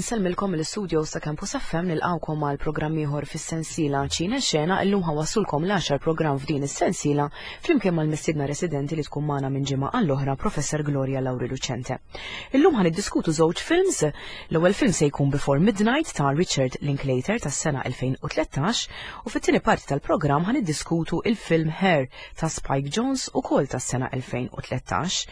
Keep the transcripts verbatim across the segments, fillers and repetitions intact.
Insellmilkom mill-istudios ta' Campus F M, nilqgħukom għal programm ieħor fis-sensiela Ċine Xena. Illum ħa nwasslulkom l-għaxar programm f'din is-sensiela flimkien mal-mistiedna residenti li tkun magħna minn ġimgħa għall-oħra, Professor Gloria Lauri Lucente. Illum ħa niddiskutu żewġ films. L-ewwel film se jkun Before Midnight ta' Richard Linklater tas-sena elfejn u tlettax u fit-tieni parti tal-programm ħa niddiskutu il-film Her ta' Spike Jonze, ukoll tas-sena elfejn u tlettax.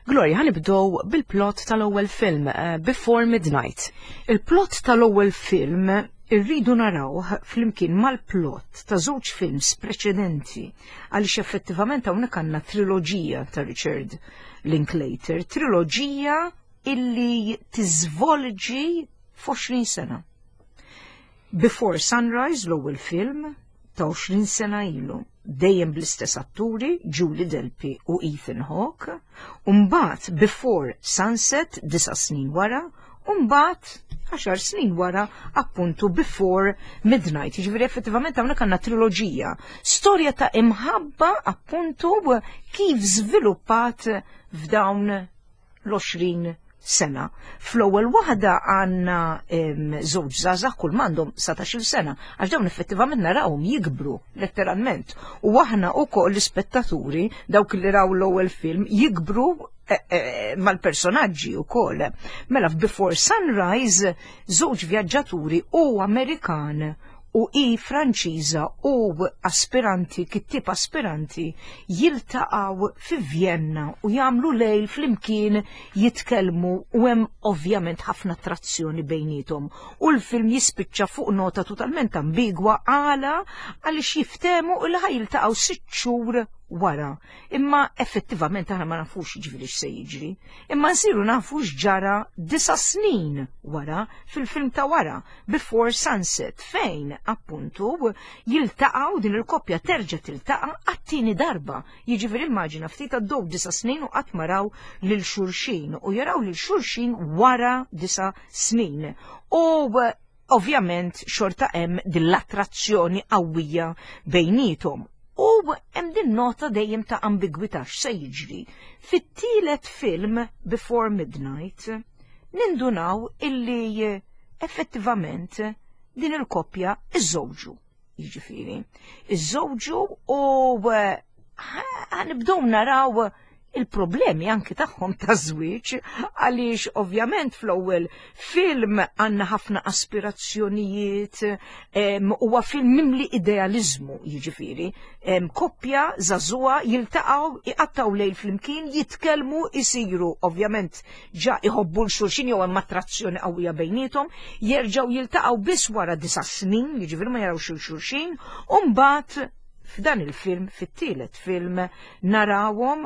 Gloria, ħa nibdew bil-plot tal-ewwel film, uh, Before Midnight. Il-plot tal-ewwel film irridu narawh flimkien mal-plot ta' żewġ films preċedenti, għaliex effettivament hawnhekk għandna triloġija ta' Richard Linklater, triloġija illi tiżvolġi f'għoxrin sena. Before Sunrise, l-ewwel film ta' għoxrin sena ilu, dejjem bl-istess atturi, Julie Delpy u Ethan Hawke, u mbagħad Before Sunset, disa' snin wara, u mbagħad għaxar snin wara, appuntu, Before Midnight. Jiġifieri effettivament hawnhekk għandna triloġija. Storja ta' imħabba, appuntu, kif żviluppat f'dawn l-għoxrin sena. Fl-ewwel waħda għandna żewġ żgħażagħ kull m'għandhom satax-il sena, għax dawn effettivament narawhom jikbru letteralment. U aħna wkoll l-ispettaturi, dawk li raw l-ewwel film, jikbru eh, eh, mal-personaġġi wkoll. Mela f'Before Sunrise, żewġ vjaġġaturi, u Amerikan u i Franċiża u aspiranti, kittib aspiranti, jiltaqgħu fi Vienna u jagħmlu lejl flimkien jitkellmu u hemm ovvjament ħafna attrazzjoni bejniethom. U l-film jispiċċa fuq nota totalment ambigwa. Għala? Għaliex jiftehmu li ħa jiltaqgħu sitt xhur wara. Imma effettivament aħna ma nafux ġifieri x'se jiġri. Imma nsiru nafu x'ġara disa' snin wara fil-film ta' wara, Before Sunset, fejn appuntu jiltaqgħu, din il-koppja terġa' tiltaqa' għat-tieni darba. Jiġifieri immaġina ftit, għaddew disa' snin u qatt ma raw lil xulxin u jaraw lil xulxin wara disa' snin. U ovvjament xorta hemm din l-attrazzjoni qawwija bejniethom. U hemm din nota dejjem ta' ambigwità x'se jiġri. Fit-tielet film, Before Midnight, nindunaw illi effettivament din il-koppja iżżewġu. Jiġifieri, iżżewġu u ħa nibdew naraw il-problemi anki tagħhom ta' żwieġ, għaliex ovvjament fl-ewwel film għandna ħafna aspirazzjonijiet, huwa film mimli idealizmu, jiġifieri. Koppja żagħżugħa jiltaqgħu, iqattgħu lejl flimkien, jitkellmu, isiru ovvjament ġa iħobbu 'l xulxin jew hemm attrazzjoni qawwija bejniethom, jerġgħu jiltaqgħu biss wara disa' snin, jiġifieri ma jarawx xulxin, u mbagħad f'dan il-film, fit-tielet film, narawhom,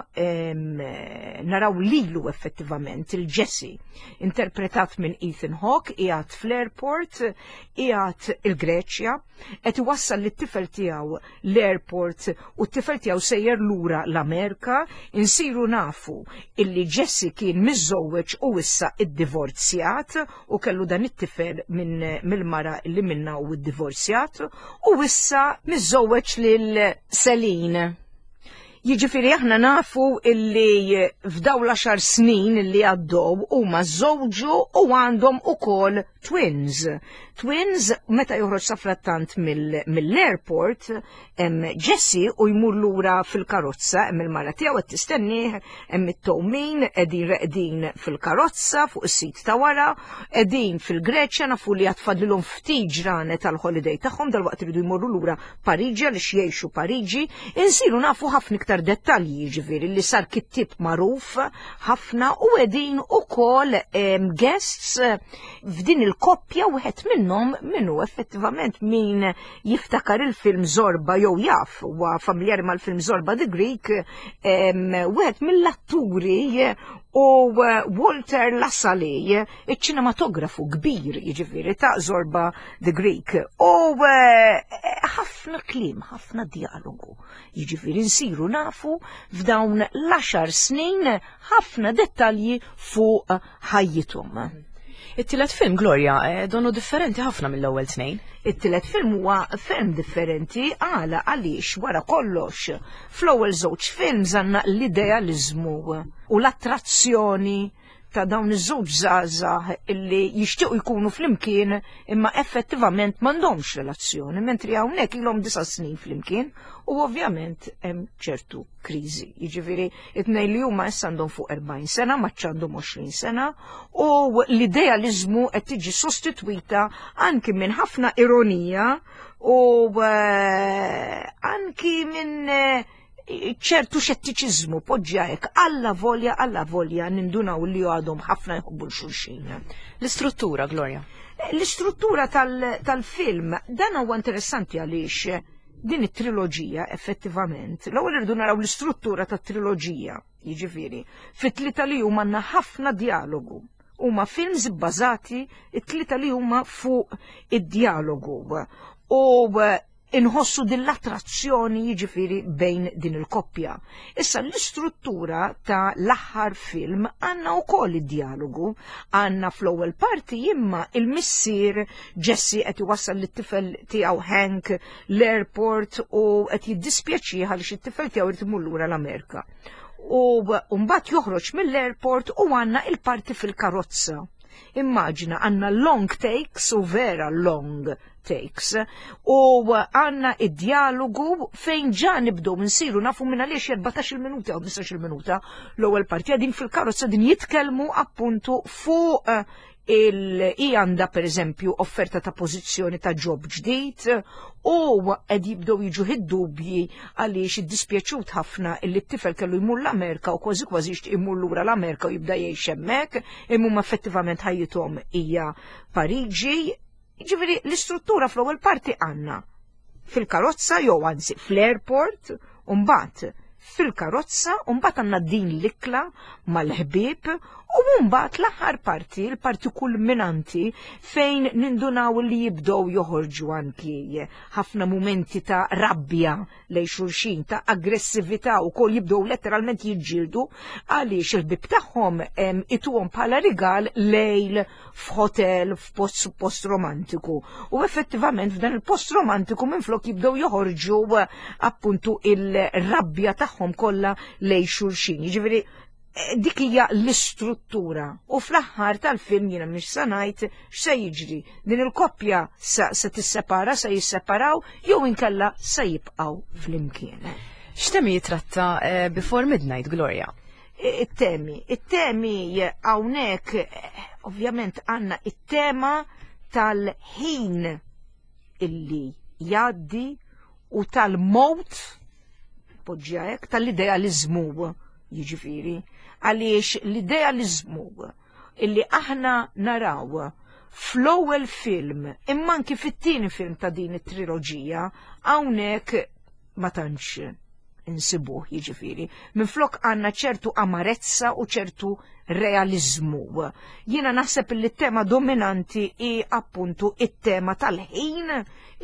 naraw lilu effettivament, il-Jesse, interpretat minn Ethan Hawke, qiegħed fl-airport, qiegħed il-Greċja, qed iwassal lit-tifel tiegħu l-airport u t-tifel tiegħu sejjer lura l-Amerika. Insiru nafu illi Jesse kien miżżewweġ u issa iddivorzjat u kellu dan it-tifel minn mill-mara li minna u iddivorzjat u issa miżżewweġ lil Celine. Jiġifieri aħna nafu illi f'daw l-għaxar snin illi għaddew huma żżewġu u għandhom ukoll twins. Twins. Meta joħroġ safrattant mill-airport, hemm Jesse u jmur lura fil-karozza, hemm il-mara tiegħu qed tistennih, hemm it-tewmin qegħdin reqdin fil-karozza fuq is-seat ta' wara, qegħdin fil-Greċja, nafu li għad fadlilhom ftit ġranet tal-holiday tagħhom, dal-waqt iridu jmorru lura Pariġi għaliex jgħixu Pariġi. Insiru nafu ħafna iktar dettalji, ġifieri li sar kittib magħruf ħafna u qegħdin ukoll guests f'din il-koppja wieħed minnhom minnu effettivament, min jiftakar il-film Zorba jew jaf huwa familjari mal-film Zorba the Greek, wieħed mill-atturi u Walter Lassally, iċ-ċinematografu kbir, jiġifieri ta' Zorba the Greek. U ħafna kliem, ħafna dialogu. Jiġifieri nsiru nafu f'dawn l-għaxar snin ħafna dettalji fuq ħajjithom. It-tielet film, Gloria, eh, donu differenti ħafna mill-ewwel tnejn. It-tielet film huwa ferm differenti. Għala? Għaliex wara kollox fl-ewwel żewġ films għandna l-idealizmu u l-attrazzjoni Ta' dawn iż-żewġ żgħażagħ illi jixtiequ jkunu flimkien imma effettivament m'għandhomx relazzjoni, mentri hawnhekk ilhom disa' snin flimkien u ovvjament hemm ċertu kriżi. Jiġifieri it-tnejn li huma issa għandhom fuq erbgħin sena, ma għandhom għoxrin sena, u l-idealizmu qed tiġi sostitwita anki minn ħafna ironija u eh, anki minn eh, ċertu xettiċiżmu, poġġja hekk, alla volja, alla volja nindunaw li għadhom ħafna jħobbu l-xulxin. L-istruttura, Gloria. L-istruttura tal-film, dan huwa interessanti għaliex din it-triloġija effettivament, l-ewwel irridu naraw l-istruttura tat-triloġija, jiġifieri, fit-tlieta li huma għandna ħafna dialogu. Huma films bbażati it-tlieta li huma fuq id-dialogu. U inħossu din l-attrazzjoni, jiġifieri, bejn din il-koppja. Issa l-istruttura ta' l-aħħar film għandna wkoll id-dialogu, għandna fl-ewwel parti imma il-missier Jesse qed iwassal lit-tifel tiegħu Hank l-airport u qed jiddispjaċih għaliex it-tifel tiegħu irid imur lura l-Amerika. U mbagħad joħroġ mill-airport u għandna il-parti fil-karozza. Immaġina, għandna long takes, u vera long takes, u għandna id-dialogu fejn ġa nibdew nsiru nafu minn għaliex erbatax-il minuta u ħmistax-il minuta l-ewwel parti għadin fil-karozza din jitkellmu appuntu fuq eh, il għanda per eżempju offerta ta' pożizzjoni ta' job ġdid u qed jibdew jiġu id-dubji għaliex iddispjaċut ħafna illi t-tifel kellu jmur l-Amerika u kważi kważi jixtieq imur lura l-Amerika u jibda jgħix hemmhekk, imma effettivament ħajjithom hija Pariġi. Ġifieri l-istruttura fl-ewwel parti għandna fil-karozza jew anzi fl-airport, u mbagħad fil-karozza, u mbagħad għandna din l-ikla mal-ħbieb, u mbagħad l-aħħar parti, il-parti kulminanti fejn nindunaw li jibdew joħorġu anki ħafna mumenti ta' rabbja lejn xulxin, ta' aggressività u kol jibdew letteralment jiġġieldu għaliex il-ħbieb tagħhom ituhom bħala rigal lejl f'hotel f'post post romantiku. U effettivament f'dan il-post romantiku minflok jibdew joħorġu appuntu il-rabbja tagħhom kollha lejn xulxin. Jiġifieri eh, dik hija l-istruttura. U fl-aħħar tal-film jiena mhix se ngħid x'se jiġri. Din il-koppja se, se tissepara, se jisseparaw jew inkella se jibqgħu flimkien. X'temi jitratta eh, Before Midnight, Gloria? It-temi. It-temi hawnhekk eh, ovvjament għandna it-tema tal-ħin illi jgħaddi u tal-mowt, poġġja hekk, tal-idealizmu, jiġifieri, għaliex l-idealizmu illi aħna naraw fl-ewwel film imma anki fit-tieni film ta' din it-triloġija hawnhekk ma tantx insibuh, jiġifieri. Minflok għandna ċertu amarezza u ċertu realizmu. Jiena naħseb li t-tema dominanti hi appuntu it-tema tal-ħin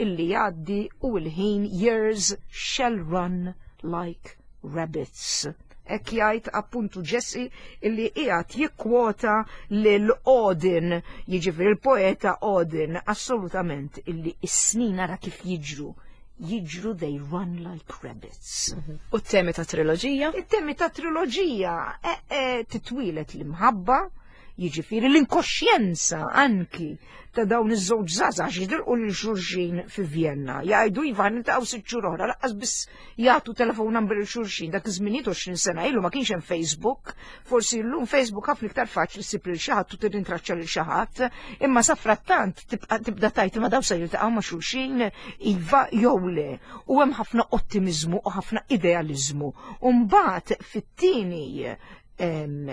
illi jgħaddi u l-ħin, "Years shall run like rabbits." Hekk jgħid appuntu Jesse illi qiegħed jikkwota lil Auden, jiġifieri il-poeta Auden, assolutament, illi s-snin ara kif jiġru jiġru, they run like rabbits. U t-temi ta' triloġija? It-temi ta' triloġija e, e, titwilet l-imħabba, jiġifieri l-inkoxjenza anki ta' dawn iż-żewġ żgħażagħ jiltaqgħu lil xulxin fi Vienna. Jgħidu iva, niltaqgħu sitt xhur oħra, lanqas biss jagħtu telefon number lil xulxin. Dak iż-żminijiet, għoxrin sena ilu, ma kienx hemm Facebook. Forsi llum Facebook ħafna iktar faċli ssib lil xi ħadd u tirrintraċċa lil xi ħadd, imma sa frattant tibqa' tibda tajt ma daw se jiltaqgħu ma' xulxin iva jew le. U hemm ħafna ottimiżmu u ħafna idealizmu. U mbagħad fit-tieni em,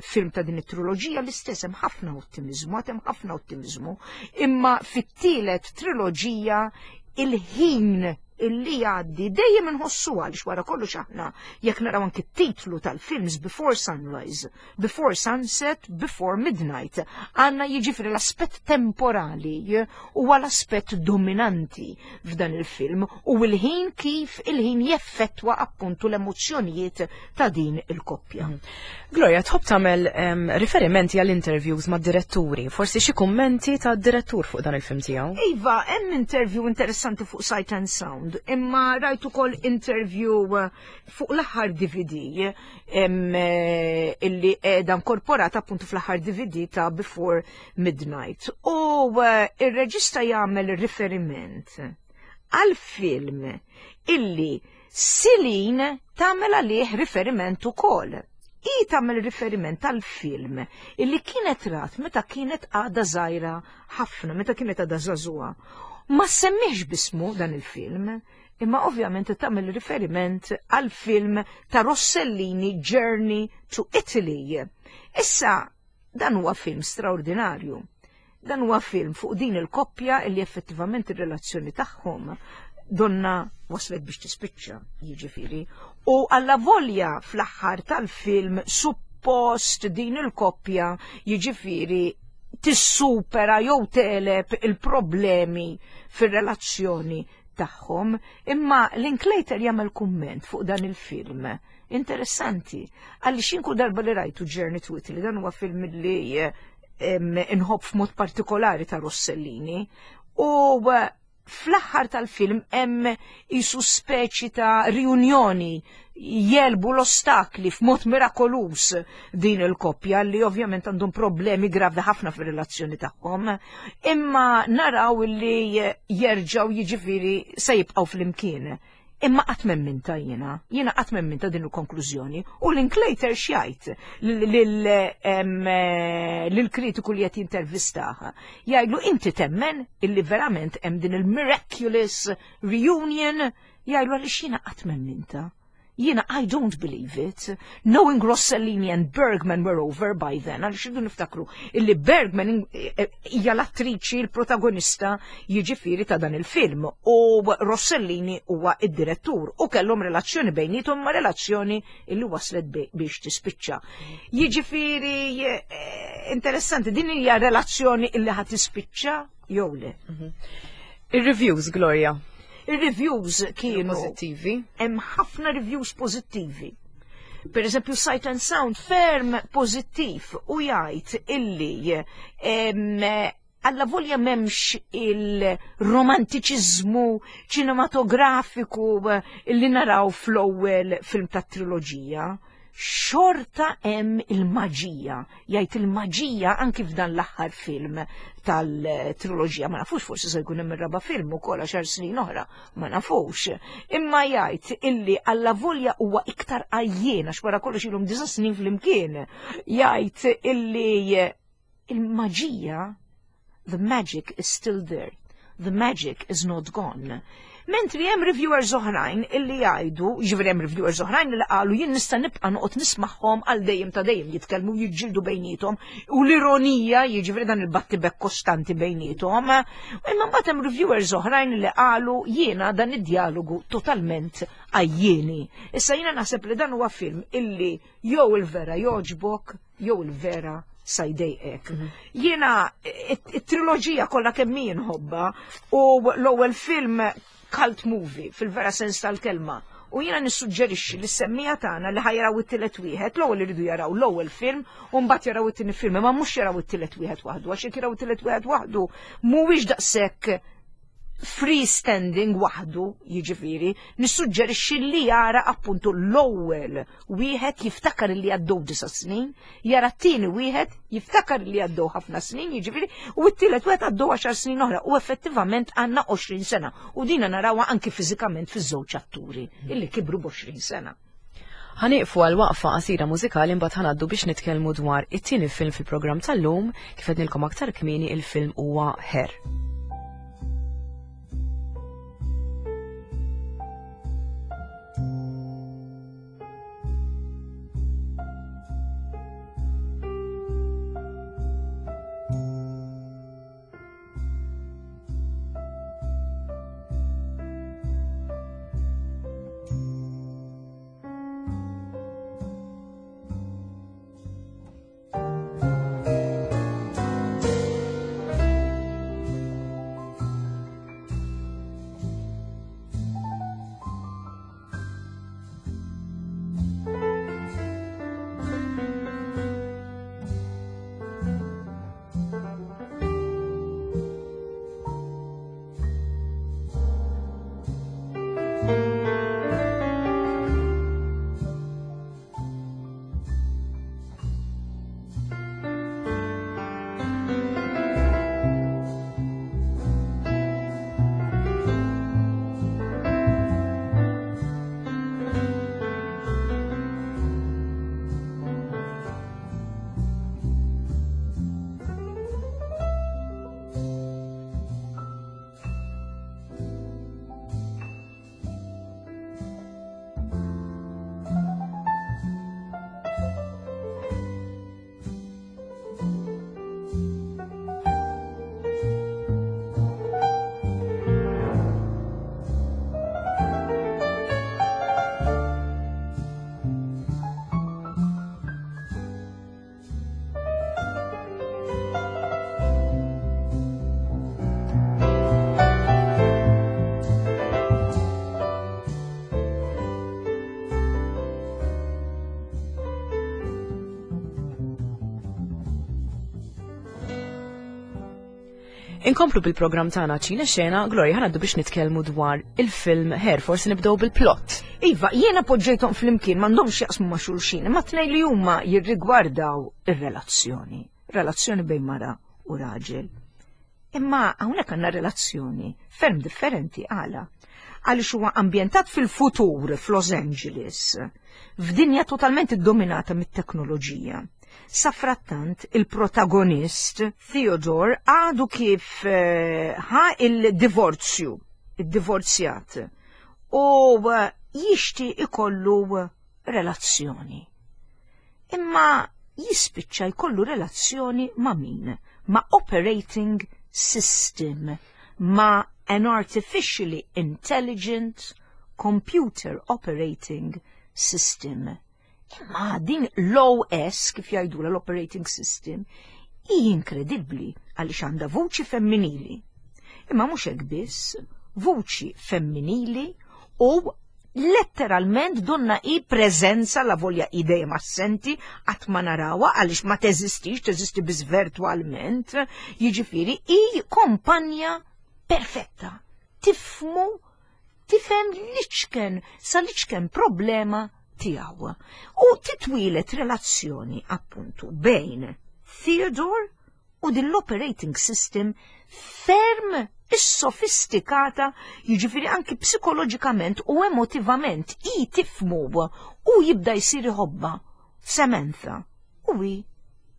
film ta' din it-triloġija l-istess, hemm ħafna ottimiżmu, għad hemm ħafna ottimiżmu, imma fit-tielet triloġija il-ħin illi jgħaddi dejjem inħossu, għaliex wara kollox aħna jekk naraw anki t-titlu tal-films, Before Sunrise, Before Sunset, Before Midnight, għandna jiġifieri l-aspett temporali huwa l-aspett dominanti f'dan il-film u l-ħin, kif il-ħin jeffettwa appuntu l-emozzjonijiet ta' din il-koppja. Gloria, tħobb tagħmel em, riferimenti għall-interviews ma' diretturi, forsi xi kummenti ta' direttur fuq dan il-film tiegħu? Iva, hemm interview interessanti fuq Sight and Sound. Sound, imma rajt ukoll interview fuq l-aħħar D V D illi qiegħda inkorporata appuntu fl-aħħar D V D ta' Before Midnight. U ir-reġista jagħmel riferiment għal film illi Celine tagħmel għalih riferiment ukoll. I tagħmel riferiment tal-film illi kienet rat meta kienet għadha żgħira ħafna, meta kienet għadha żagħżugħa. Ma semmiex bismu dan il-film, imma ovvjament tagħmel riferiment għal film ta' Rossellini, Journey to Italy. Issa, dan huwa film straordinarju. Dan huwa film fuq din il-koppja illi effettivament ir-relazzjoni tagħhom donna waslet biex tispiċċa, jiġifieri. U alla volja fl-aħħar tal-film suppost din il-koppja, jiġifieri, tissupera jew tegħleb il-problemi fir-relazzjoni tagħhom, imma Linklater jagħmel kumment fuq dan il-film. Interessanti, għalli kull darba li rajtu Journey to Italy, dan huwa film li inħobb f'mod partikolari ta' Rossellini, u fl-aħħar tal-film hemm isu speċi ta' riunjoni, jegħlbu l-ostakli f'mod mirakolus din il-koppja li ovvjament għandhom problemi gravi ħafna fir-relazzjoni tagħhom, imma naraw li jerġgħu, jiġifieri, se jibqgħu flimkien. Imma qatt m'emminta jiena, jiena qatt m'emminta din il-konklużjoni. U Linklater x'jgħid lill-kritiku li qed jintervistaha? Jgħidlu: "Inti temmen illi verament hemm din il-miraculous reunion?" Jgħidlu: "Għaliex jiena qatt m'emminta. Jiena I don't believe it. Knowing Rossellini and Bergman were over by then," għaliex irridu niftakru illi Bergman hija l-attriċi, il-protagonista, jiġifieri, ta' dan il-film u Rossellini huwa id-direttur u kellhom relazzjoni bejniethom, ma relazzjoni illi waslet biex tispiċċa. Jiġifieri, eh, interessanti, din hija relazzjoni illi ħa tispiċċa jew le. Mhm. Ir-reviews, Gloria. Ir-reviews kienu pożittivi. Hemm ħafna reviews pożittivi. Per eżempju, Sight and Sound ferm pożittiv u jgħid illi alla volja m'hemmx il-romantiċiżmu ċinematografiku illi naraw fl-ewwel film tat-triloġija, xorta hemm il-maġija. Jgħid il-maġija anki f'dan l-aħħar film tal-triloġija. Ma nafux, forsi se jkun hemm ir-raba' film ukoll għaxar snin oħra, ma nafux. Imma jgħid illi alla volja huwa iktar għajjien għax wara kollox ilhom disa' snin flimkien. Jgħid illi il-maġija, the magic is still there. The magic is not gone. Mentri hemm reviewers oħrajn illi jgħidu, ġifieri hemm reviewers oħrajn li qalu: "Jien nista' nibqa' noqgħod nismagħhom għal dejjem ta' dejjem jitkellmu, jiġġieldu bejniethom u l-ironija, jiġifieri dan il-battibek kostanti bejniethom." Imma mbagħad hemm reviewers oħrajn li qalu: "Jiena dan id-dialogu totalment għajjieni." Issa jiena naħseb li dan huwa film illi jew il-vera joġbok jew il-vera sa jdejqek. Mhm. Jiena it-triloġija kollha kemm nħobbha u l-ewwel film cult movie fil-vera sens tal-kelma. U jiena nissuġġerixxi li s-semmiegħa tagħna li ħa jaraw it-tielet wieħed, l-ewwel iridu jaraw l-ewwel film u mbagħad jaraw it-tieni film, ma mhux jaraw it-tielet wieħed waħdu, għax jekk jaraw it-tielet wieħed waħdu mhuwiex daqshekk freestanding waħdu, jiġifieri, nissuġġerixxi li jara appuntu l-ewwel wieħed, jiftakar li għaddew disa' snin, jara t-tieni wieħed, jiftakar li għaddew ħafna snin, jiġifieri, u t-tielet wieħed għaddew għaxar snin oħra u effettivament għandna għoxrin sena. U dina narawha anki fiżikament fiż-żewġ atturi illi kibru b'għoxrin sena. Ħa nieqfu għal waqfa qasira mużikali, mbagħad ħa ngħaddu biex nitkellmu dwar it-tieni film fil-programm tal-lum. Kif għednilkom aktar kmieni, il-film huwa Her. Inkomplu bil-programm tagħna Ċine Xena, Gloria, ħa ngħaddu biex nitkellmu dwar il-film Her, forsi nibdew bil-plot. Iva, jiena poġġejthom flimkien, m'għandhomx jaqsmu ma' xulxin, imma tnejn li huma jirrigwardaw ir-relazzjoni. Relazzjoni bejn mara u raġel. Imma hawnhekk għandna relazzjoni ferm differenti. Għala? Għaliex huwa ambjentat fil-futur f'Los Angeles, f'dinja totalment iddominata mit-teknoloġija. Safrattant, il-protagonist, Theodore, għadu kif eh, ħa il-divorzju, il-divorzjat, u eh, jixti ikollu relazzjoni. Imma jispiċċa jkollu relazzjoni ma' min? Ma' operating system, ma' an artificially intelligent computer operating system. Imma din l-O S, kif jgħidu l-operating system, hi inkredibbli għaliex għandha vuċi femminili. Imma mhux hekk biss, vuċi femminili u letteralment donna i preżenza, la volja i dejjem assenti, qatt ma narawha għaliex ma teżistix, teżisti biss virtualment, jiġifieri i kompanja perfetta. Tifhmu, tifhem l-iċken, sa l-iċken problema tiegħu. U titwieled relazzjoni appuntu bejn Theodore u din l-operating system ferm is-sofistikata, jiġifieri anki psikoloġikament u emotivament i tifhmu u jibda jsir iħobbha Samantha u hi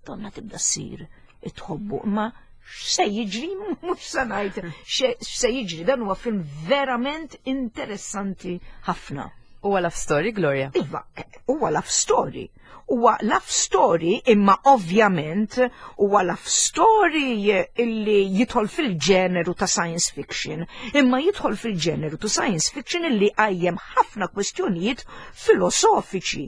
donna tibda ssir tħobbu, imma x'se jiġri mhux se ngħid x'se jiġri. Dan huwa film verament interessanti ħafna. Huwa love story, Gloria? Iva, huwa love story. Huwa love story, imma ovvjament huwa love story illi jidħol fil-ġeneru ta' science fiction. Imma jidħol fil-ġeneru ta' science fiction illi qajjem ħafna kwestjonijiet filosofiċi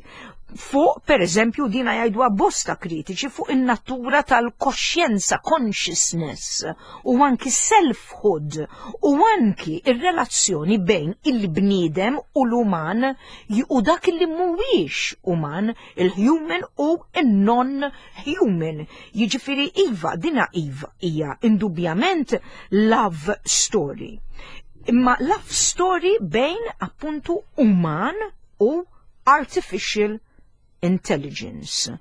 fuq, per eżempju, dina jgħidu bosta kritiċi, fuq in-natura tal-koxjenza, consciousness, u anki selfhood, u anki ir-relazzjoni bejn il-bniedem u l-uman u dak li mhuwiex uman, il-human u il-non-human. Jiġifieri iva, dina iva hija indubjament love story. Imma love story bejn appuntu uman u artificial intelligence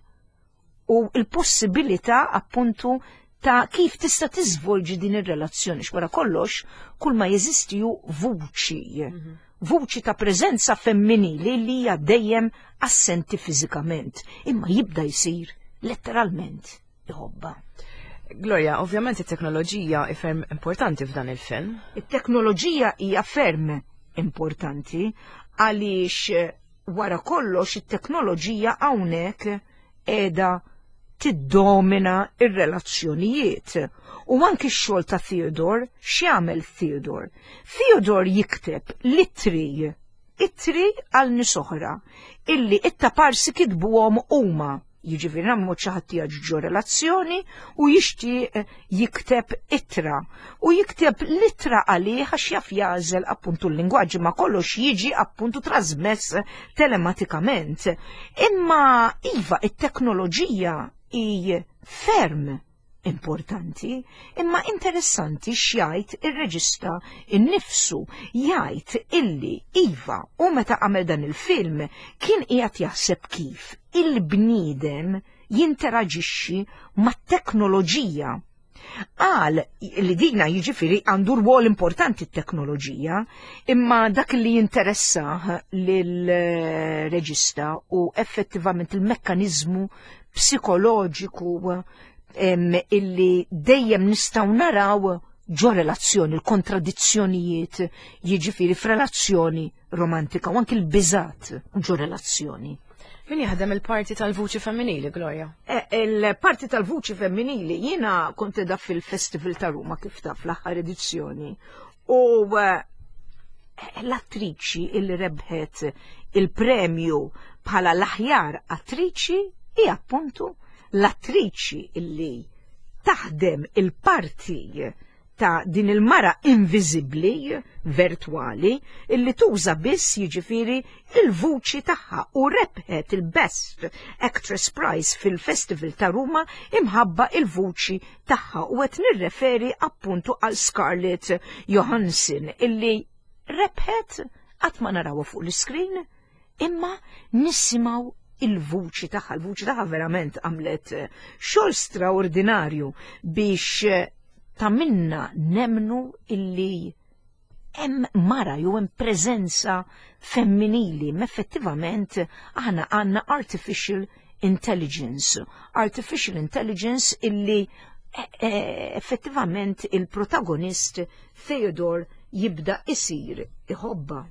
u il-possibilità appuntu ta' kif tista' tiżvolġi din ir-relazzjoni, x'wara kollox kull ma jeżisti hu vuċi. Mhm. Vuċi ta' preżenza femminili li hija dejjem assenti fiżikament, imma jibda jsir letteralment iħobbha. Gloria, ovvjament it-teknoloġija hi ferm importanti f'dan il-film. It-teknoloġija hija ferm importanti għaliex wara kollox it-teknoloġija hawnhekk qiegħda tiddomina ir-relazzjonijiet. U anki x-xogħol ta' Theodore, x'jagħmel Theodore? Theodore jikteb l-ittri, ittri għal nies oħra, illi it-taparsi kitbuhom huma. Jiġifieri nagħmlu xi ħadd ġo relazzjoni u jixtieq jikteb ittra. U jikteb l-ittra għalih għax jaf jagħżel appuntu l-lingwaġġ, ma kollox jiġi appuntu trasmess telematikament. Imma iva, it-teknoloġija hi ferm importanti, imma interessanti x'jgħid ir-reġista innifsu, jgħid illi iva, u meta għamel dan il-film kien qiegħed jaħseb kif il-bniedem jinteraġixxi mat-teknoloġija. Qal li dina jiġifieri għandu rwol importanti t-teknoloġija, imma dak li jinteressa lill-reġista u effettivament il-mekkanizmu psikoloġiku illi dejjem nistgħu naraw ġo relazzjoni, il-kontradizzjonijiet, jiġifieri f'relazzjoni romantika u anki l-biżat ġo relazzjoni. Min jaħdem il-parti tal-vuċi femminili, Gloria? E, il-parti tal-vuċi femminili, jiena kont da fil-Festival ta' Ruma, kif taf, l-aħħar edizzjoni. U e, l-attriċi illi rebħet il-premju bħala l-aħjar attriċi hi appuntu l-attriċi illi taħdem il-parti Ta' din il-mara inviżibbli, virtuali, illi tuża biss, jiġifieri, il-vuċi tagħha u rebħet il-Best Actress Prize fil-Festival ta' Ruma imħabba il-vuċi tagħha, u qed nirreferi appuntu għal Scarlett Johansson illi rebħet. Qatt ma narawha fuq l-iskrin imma nisimgħu il-vuċi tagħha. Il-vuċi tagħha verament għamlet xogħol straordinarju biex ta' minna nemmnu illi hemm mara jew hemm preżenza femminili, ma effettivament aħna għandna artificial intelligence. Artificial intelligence illi e, e, effettivament il-protagonist Theodore jibda isir iħobba.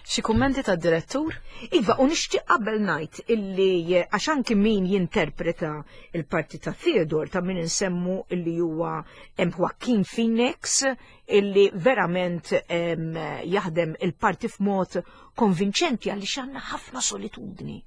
Xi kummenti tad-direttur? Iva, u nixtieq qabel ngħid illi għax anki min jinterpreta il-parti ta' Theodore, ta' min insemmu illi huwa hemm Joaquin Phoenix illi verament em, jaħdem il-parti f'mod konvinċenti għaliex għandna ħafna solitudni.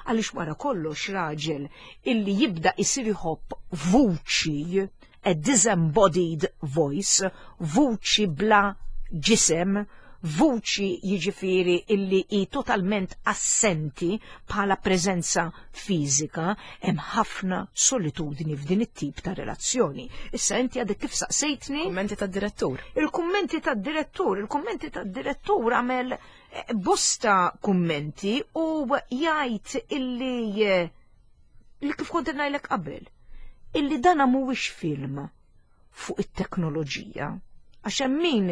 Għaliex wara kollox raġel illi jibda isir iħobb vuċi, a disembodied voice, vuċi bla ġisem, vuċi, jiġifieri, illi hi totalment assenti bħala preżenza fiżika, hemm ħafna solitudni f'din it-tip ta' relazzjoni. Issa inti għadek kif saqsejtni Kummenti tad-direttur. Il-kummenti tad-direttur, il-kummenti tad-direttur għamel eh, bosta kummenti u jgħid illi eh, li kif kont ngħidlek qabel, illi dana mhuwiex film fuq it-teknoloġija. Għax hemm min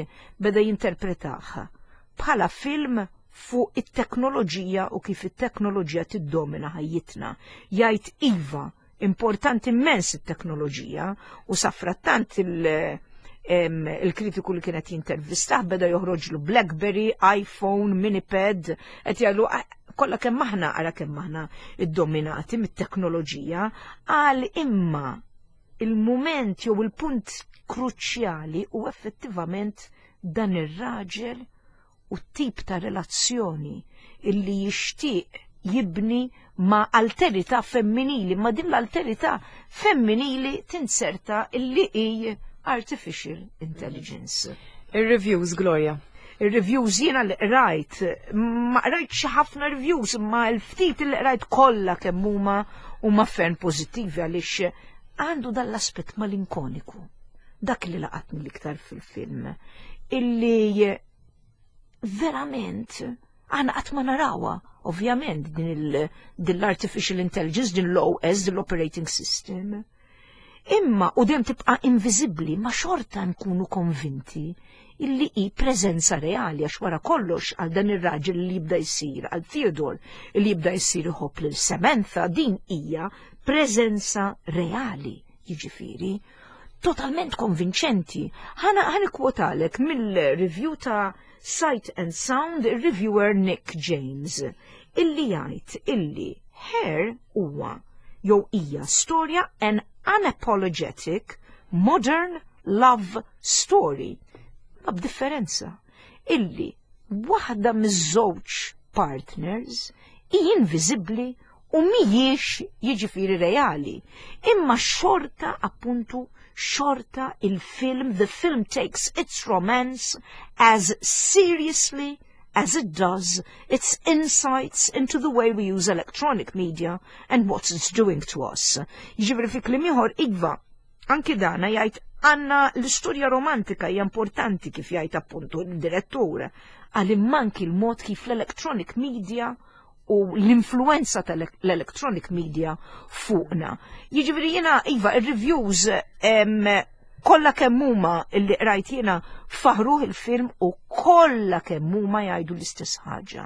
beda jinterpretaha bħala film fuq it-teknoloġija u kif it-teknoloġija tiddomina ħajjitna. Jgħid iva, importanti immens it-teknoloġija, u safrattant il- em, il-kritiku li kienet jintervistah beda joħroġlu BlackBerry, iPhone, Minipad, qed jgħidu "Ah, kollha kemm aħna, ara kemm aħna iddominati mit-teknoloġija", għal imma il-moment jew il-punt kruċjali u effettivament dan ir-raġel u tip ta' relazzjoni illi jixtieq jibni ma' alterità femminili, ma' din l-alterità femminili tinserta illi hi artificial intelligence. Ir-reviews, Gloria. Il-reviews jiena li rajt, ma rajt xi ħafna reviews, imma l-ftit li rajt kollha kemm huma huma ferm pożittivi għaliex għandu dal-aspett malinkoniku. Dak li laqatni l-iktar fil-film, illi verament aħna qatt ma narawha, ovvjament, din il- din l-artificial intelligence, din l-O S, din l-operating system. Imma u dejjem tibqa' inviżibbli, ma xorta nkunu konvinti illi hi preżenza reali, għax wara kollox għal dan ir-raġel li jibda jsir, għal Theodore li jibda jsir iħobb lil Samantha, din hija preżenza reali, jiġifieri totalment konvinċenti. Ħana ħa nikkwotalek mill-review ta' Sight and Sound, reviewer Nick James, illi jgħid illi Her huwa jew hija storja an unapologetic modern love story. Ma b'differenza illi waħda miż-żewġ partners hi inviżibbli u mhijiex, jiġifieri, reali. Imma xorta, appuntu, xorta il-film, the film takes its romance as seriously as it does its insights into the way we use electronic media and what it's doing to us. Jiġifieri, fi kliem ieħor, iva, anki dana jgħid għandna l-istorja romantika hija importanti, kif jgħid appuntu il-direttur, għal immanki l-mod kif l-electronic media u l-influenza tal-electronic media fuqna. Jiġifieri jiena, iva, il-reviews kollha kemm huma illi qrajt jiena faħruh il-film u kollha kemm huma jgħidu l-istess ħaġa.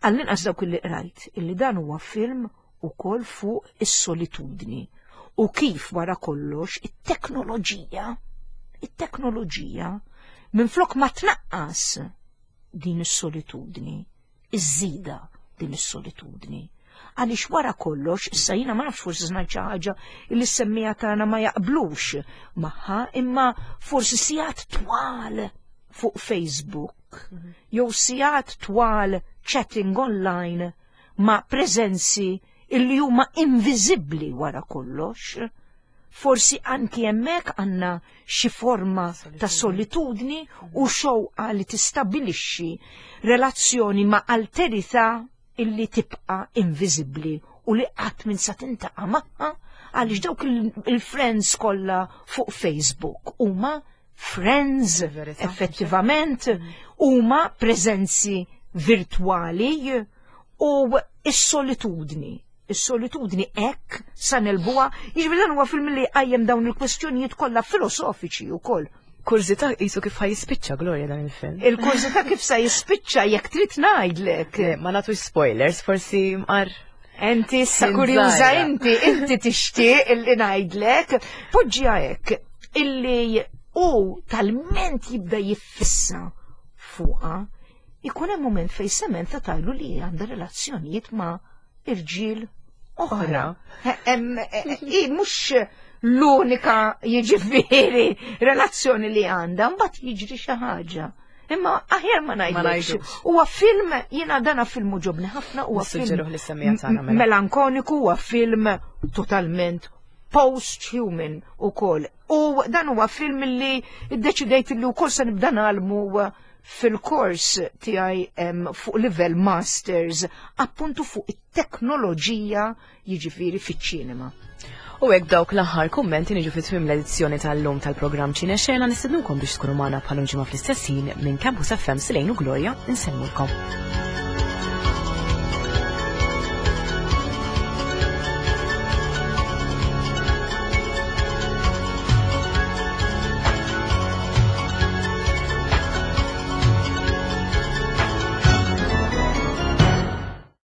Għall-inqas dawk illi qrajt, illi dan huwa film ukoll fuq is-solitudni u kif wara kollox it-teknoloġija, it-teknoloġija minflok ma tnaqqas din is-solitudni, iżżidha din is-solitudni. Għaliex wara kollox, issa jiena ma nafx, forsi ngħid xi ħaġa li s-semmiegħa tagħna ma jaqblux magħha, imma forsi sigħat twal fuq Facebook jew sigħat twal chatting online ma' preżenzi illi huma inviżibbli wara kollox. Forsi anki hemmhekk għandna xi forma ta' solitudni u xewqa li tistabbilixxi relazzjoni ma' alterità illi tibqa' inviżibbli u li qatt minn sa tintaqa' magħha, għaliex dawk il-friends kollha fuq Facebook huma friends effettivament, huma preżenzi virtwali u is-solitudni is-solitudni hekk sa nelbuha. Jiġifieri dan huwa film li qajjem dawn il-kwestjonijiet kollha filosofiċi wkoll. Kurżità qisu kif ħa jispiċċa, Gloria, dan il-film. Il-kurżità kif sa jispiċċa, jekk trid ngħidlek. Ma nagħtux spoilers, forsi mqar. Enti issa kurjuża inti, inti tixtieq illi ngħidlek. Poġġiha hekk, illi u talment jibda jiffissa fuqha, ikun hemm moment fejn Samantha tgħidlu li għandha relazzjonijiet ma' irġiel oħra. I mhux l-unika, jiġifieri, relazzjoni li għandha, mbagħad jiġri xi ħaġa. Imma aħjar ma ngħidlekx. Huwa film, jiena dana film għoġobni ħafna, huwa film mela. melankoniku, huwa film totalment post-human ukoll. U dan huwa film li iddeċidejt li wkoll se nibda ngħallmu fil-kors tiegħi fuq livell masters, appuntu fuq it-teknoloġija, jiġifieri, fiċ-ċinema. U hekk dawk l-aħħar kummenti niġu fi tmiem l-edizzjoni tal-lum tal-programm Ċine Xena. Nistednukom biex tkunu magħna bħal ġimgħa fl-istess ħin. Minn Campus F M, Silejn u Gloria insellmulkom.